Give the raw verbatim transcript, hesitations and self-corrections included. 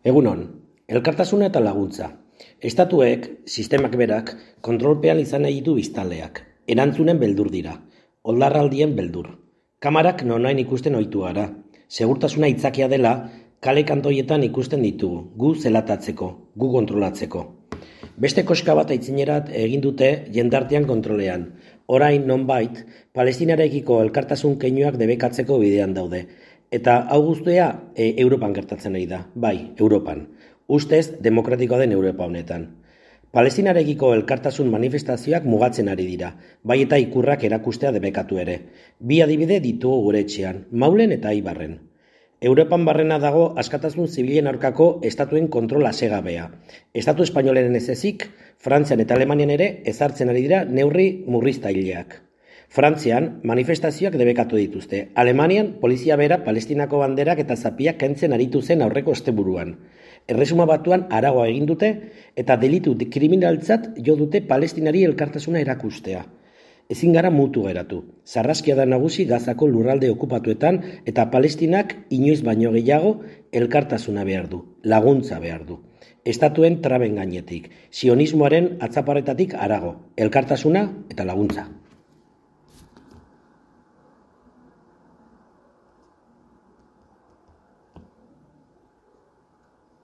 Egunon, elkartasuna eta laguntza. Estatuek, sistemak berak, kontrolpean izan nahi ditu biztanleak. Erantzunen beldur dira. Oldarraldien beldur. Kamarak nonain ikusten ohitu gara. Segurtasuna itzakia dela, kale kantoietan ikusten ditugu, gu zelatatzeko, gu kontrolatzeko. Beste koska bat aitzinerat egin dute jendartean kontrolean. Orain nonbait, Palestinarekiko elkartasun keinuak debekatzeko bidean daude. Eta hau guztia e, Europan gertatzen ari da, bai, Europan. Ustez, demokratikoa den Europa honetan. Palestinarekiko elkartasun manifestazioak mugatzen ari dira, bai eta ikurrak erakustea debekatu ere. Bi adibide ditugu gure etxean, Maulen eta Eibarren. Europan barrena dago askatasun zibilen aurkako estatuen kontrol asegabea. Estatu espainolen ez ezik, Frantzian eta Alemanian ere ezartzen ari dira neurri murriztaileak. Frantzian, manifestazioak debekatu dituzte. Alemanian, polizia bera Palestinako banderak eta zapiak kentzen aritu zen aurreko osteburuan. Erresuma Batuan aragoa egin dute eta delitu kriminaltzat jo dute Palestinari elkartasuna erakustea. Ezin gara mutu geratu. Sarraskia da nagusi Gazako lurralde okupatuetan eta Palestinak inoiz baino gehiago elkartasuna behar du, laguntza behar du. Estatuen traben gainetik, sionismoaren atzaparretatik harago, elkartasuna eta laguntza.